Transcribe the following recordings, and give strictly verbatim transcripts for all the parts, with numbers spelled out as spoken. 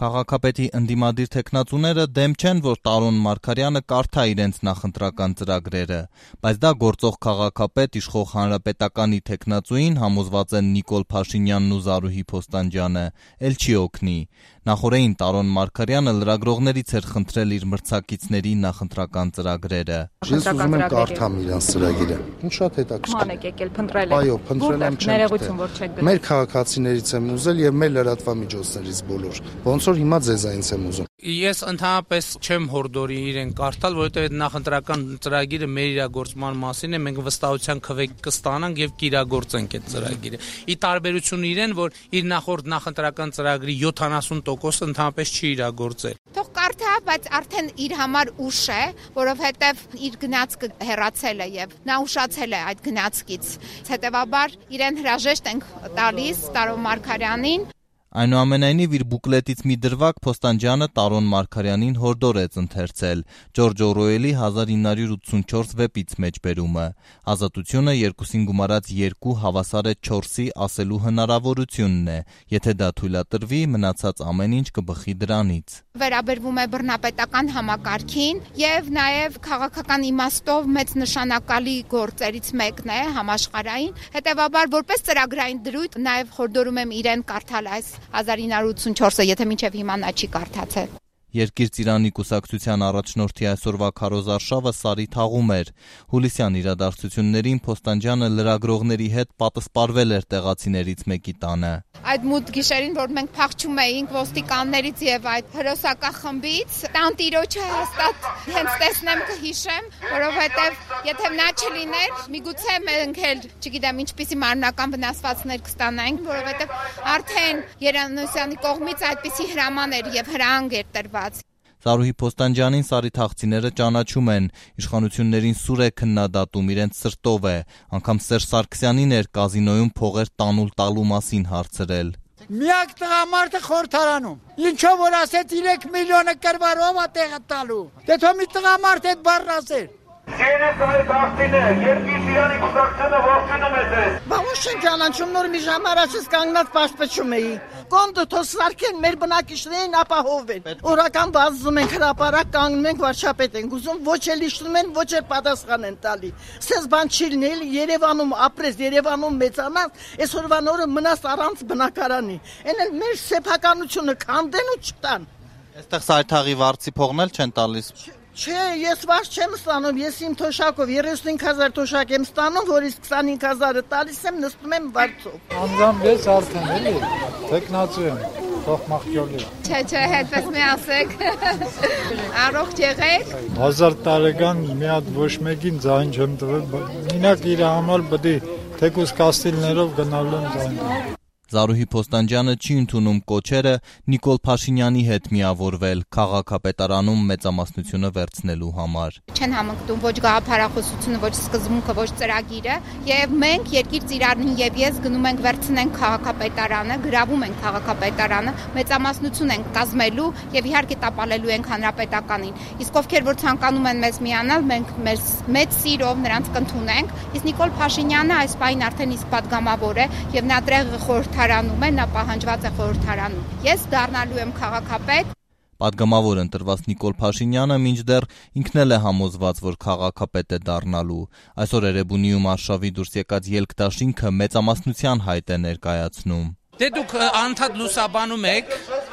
Քաղաքապետի ընդդիմադիր թեկնածուները դեմ չեն, որ Տարոն Մարգարյանը կարդա իրենց նախընտրական ծրագրերը, բայց դա գործող քաղաքապետ իշխող Հանրապետականի թեկնածուին, համոզված են Նիկոլ Փաշինյանն ու Զարուհի Փոստանջյանը, էլ չի օգնի։ Նախօրեին Տարոն Մարգարյանը լրագրողներից էր խնդրել իր մրցակիցների նախընտրական ծրագրերը։ Ես ուզում եմ կարդամ իրանց ծրագիրը։ Ինչ շատ հետաքրքիր։ Մանեք եկել փնտրել եք։ Այո, փնտրել եմ չեմ։ Ներողություն, որ չեք գտել։ Մեր քաղաքացիներից եմ ուզել եւ մեր լրատվամիջոցներից բոլոր։ Ոնց որ հիմա ձեզանից եմ ուզում։ Ես ընդհանրապես չեմ հորդորի իրեն կարդալ, որովհետեւ այդ նախընտրական ծրագիրը մեր իրագործման մասին է, մենք վստահության քվեկ կստանանք եւ կիրագործենք այդ ծրագիրը։ Ի տարբերություն իրեն, որ իր նախորդ նախընտրական ծրագրի յոթանասուն տոկոսը ընդհանրապես չի իրագործել։ Թող կարդա, բայց արդեն իր համար ուշ է, որովհետեւ իր գնացքը հեռացել է եւ նա ուշացել է այդ գնացքից։ Հետեւաբար իրեն հրաժեշտ ենք տալիս Տարոն Մարգարյանին։ Այնուամենայնիվ իր բուկլետից մի դրվագ Փոստանջյանը Տարոն Մարգարյանին հորդորեց ընթերցել Ջորջ Օրուելի հազար ինը հարյուր ութսունչորս վեպից մեջբերումը։ Ազատությունը երկուսին գումարած երկու հավասար է չորսի ասելու հնարավորությունն է, եթե դա թույլատրվի, մնացած ամեն ինչ կբխի դրանից։ Վերաբերվում է բռնապետական համակարգին եւ նաեւ քաղաքական իմաստով մեծ նշանակալի գործերից մեկն է համաշխարհային։ Հետեւաբար որպես ծրագրային դրույթ նաեւ խորհրդորում եմ իրեն կարդալ այս հազար ինը հարյուր ութսունչորսը, եթե մինչև հիմա նա չի կարդացել։ Երկիր Ծիրանի կուսակցության առաջնորդի այսօրվա քարոզարշավը սարի թաղում էր։ Հուլիսյան իրադարձություններին Փոստանջյանը լրագրողների հետ պատասպարվել էր տեղացիներից մեկի տանը։ Այդ մութ գիշերին, որ մենք փախչում էինք ոստիկաններից եւ այդ հրոսակախմբից, տանտիրոջը հաստատ հենց տեսնեմ կհիշեմ, որովհետեւ եթե նա չլիներ, միգուցե մենք էլ, չգիտեմ, ինչպիսի մարմնական վնասվածքներ կստանայինք, որովհետեւ արդեն Երանոսյանի կողմից այդպիսի հրաման էր եւ հրահանգ էր տրված։ Զարուհի Փոստանջյանին սարի թաղցիները ճանաչում են, իշխանություններին սուր է քննադատում, իրենց սրտով է, անգամ Սերժ Սարգսյանին էր կազինոյում փողեր տանուլ տալու մասին հարցրել։ Միակ տղամարդը խորհրդարանում։ Ինչով որ ասեց երեք միլիոնը կրվարով է տեղը տալու։ Դե թող մի տղամարդ այդ բառն ասեր։ Չենես այդ աղտինը, երկիր Ծիրանի կուսակցությունը ողջունում է ձեզ։ Բաղուշ են ճանաչում, նոր մի ժամ առաջից կանգնած պաշտպչում էի։ Կոնդը թող սարքեն մեր բնակիչներին ապահովեն։ Օրական վազում ենք հրապարակ, կանգնում ենք վարչապետ ենք ուզում, ոչ էլ իշխնում են, ոչ էլ պատասխան են տալի։ Սենց բան չի լինել, Երևանում ապրես, Երևանում մեծանաս, այսօրվան օրը մնաս առանց բնակարանի։ Էն էլ մեր սեփականությունը քանդեն ու չտան։ Այստեղ սայթաղի վարձի փողն էլ չեն տալիս։ Չէ, ես վարձ չեմ ստանում, ես իմ թոշակով երեսունհինգ հազար թոշակ եմ ստանում, որից քսանհինգ հազարը տալիս եմ, նստում եմ վարձով։ Անձամբ ես արդեն էլի, տեխնացու եմ, թող մախյոլի։ Չէ, չէ, հետպես մի ասեք։ Առողջ եղեք։ Հազար տարեկան մի հատ ոչ մեկին ձայն չեմ տվել, մինակ իր համար բդի թեկուս կաստիլներով գնալու եմ ձայն։ Զարուհի Փոստանջյանը չի ընդունում կոչերը Նիկոլ Փաշինյանի հետ միավորվել քաղաքապետարանում մեծամասնությունը վերցնելու համար։ Չեն համընկնում ոչ գաղափարախոսությունը, ոչ սկզբունքը, ոչ ծրագիրը, եւ մենք Երկիր Ծիրանին եւ ես գնում ենք վերցնենք քաղաքապետարանը, գրավում ենք քաղաքապետարանը, մեծամասնություն ենք կազմելու եւ իհարկե տապալելու ենք հանրապետականին։ Իսկ ովքեր որ ցանկանում են մեզ միանալ, մենք մեր մեծ սիրով նրանց կընդունենք։ Իսկ Նիկոլ Փաշինյանը այս պահին արդեն իսկ падգամավոր է եւ նա դրեղը խորհրդարանում է, նա պահանջված է խորհրդարանում։ Ես դառնալու եմ քաղաքապետ։ Պատգամավոր ընտրված Նիկոլ Փաշինյանը մինչդեռ ինքն էլ է համոզված, որ քաղաքապետ է դառնալու։ Այսօր Էրեբունիում արշավի դուրս եկած ելքդաշինքը մեծամասնության հայտ է ներկայացնում։ Դե դուք անդադ լուսաբանում եք,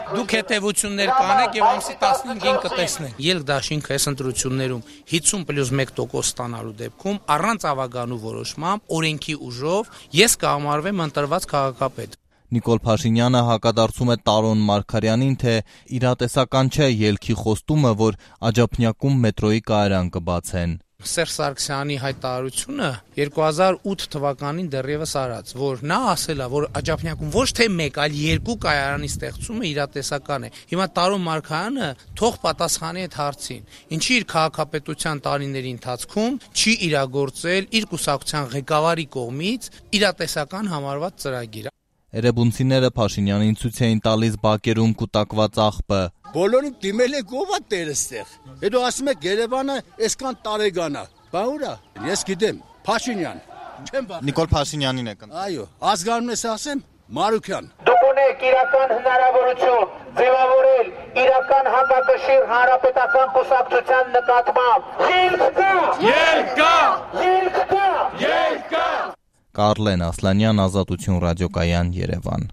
դուք հետևություններ կանեք եւ ամսի տասնհինգին կտեսնեք։ Ելքդաշինքը այս ընտրություններում հիսուն պլյուս մեկ տոկոս ստանալու դեպքում առանց ավագանու որոշմամբ օրենքի ուժով ես կհամարվեմ ընտրված քաղաքապետ։ Նիկոլ Փաշինյանը հակադարձում է Տարոն Մարգարյանին, թե իրատեսական չէ ելքի խոստումը, որ Աջափնյակում մետրոյի կայարան կբացեն։ Սերժ Սարգսյանի հայտարարությունը երկու հազար ութ թվականին դեռևս արած, որ նա ասել է, որ Աջափնյակում ոչ թե մեկ, այլ երկու կայարանի ստեղծումը իրատեսական է։ Հիմա Տարոն Մարգարյանը թող պատասխանի այդ հարցին։ Ինչի իր քաղաքապետության տարիների ընթացքում չի իրագործել իր կուսակցության ղեկավարի կողմից իրատեսական համարված ծրագիր։ Էրեբունցիները Փաշինյանին ցույց էին տալիս բակերում կուտակված աղբը։ Բոլորին դիմել են ով է տերստեղ։ Հետո ասում եք Երևանը այսքան տարեգան է։ Բա ուրա։ Ես գիտեմ, Փաշինյան։ Չեմ բախ։ Նիկոլ Փաշինյանին եք ընտրել։ Այո, ազգանունս ասեմ Մարուքյան։ Դուք ունեք իրական հնարավորություն ձևավորել Հայկական հակակշիռ հանրապետական կուսակցության նկատմամբ։ Ելք կա։ Ելք կա։ Ելք կա։ Ելք կա։ Կարլեն Ասլանյան, Ազատություն ռադիոկայան, Երևան։